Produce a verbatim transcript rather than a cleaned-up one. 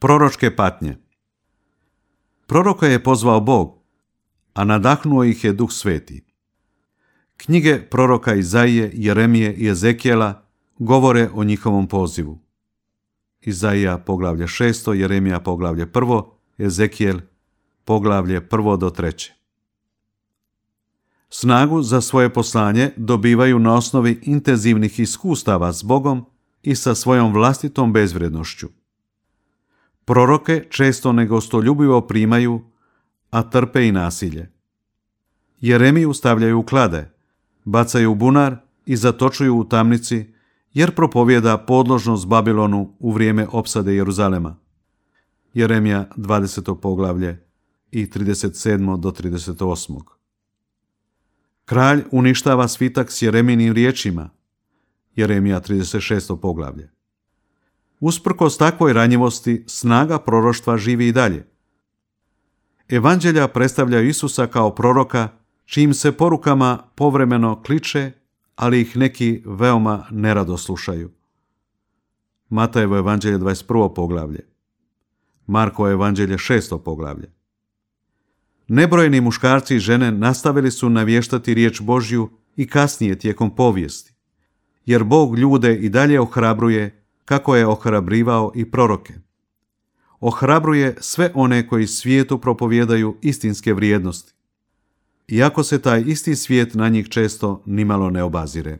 Proročke patnje. Proroka je pozvao Bog, a nadahnuo ih je Duh Sveti. Knjige proroka Izaije, Jeremije i Ezekijela govore o njihovom pozivu. Izaija poglavlje šesto, Jeremija poglavlje prvo, Ezekijel poglavlje prvo do treće. Snagu za svoje poslanje dobivaju na osnovi intenzivnih iskustava s Bogom i sa svojom vlastitom bezvrednošću. Proroke često negostoljubivo primaju, a trpe i nasilje. Jeremiju stavljaju u klade, bacaju u bunar i zatočuju u tamnici, jer propovjeda podložnost Babilonu u vrijeme opsade Jeruzalema. Jeremija dvadeseto poglavlje i trideset sedmo do trideset osam. Kralj uništava svitak s Jeremijinim riječima. Jeremija trideset šesto poglavlje. Usprkos takvoj ranjivosti, snaga proroštva živi i dalje. Evanđelja predstavljaju Isusa kao proroka, čijim se porukama povremeno kliče, ali ih neki veoma nerado slušaju. Matajevo evanđelje dvadeset prvo poglavlje. Markovo evanđelje šesto poglavlje. Nebrojeni muškarci i žene nastavili su navještati riječ Božju i kasnije tijekom povijesti, jer Bog ljude i dalje ohrabruje kako je ohrabrivao i proroke. Ohrabruje sve one koji svijetu propovijedaju istinske vrijednosti, iako se taj isti svijet na njih često nimalo ne obazire.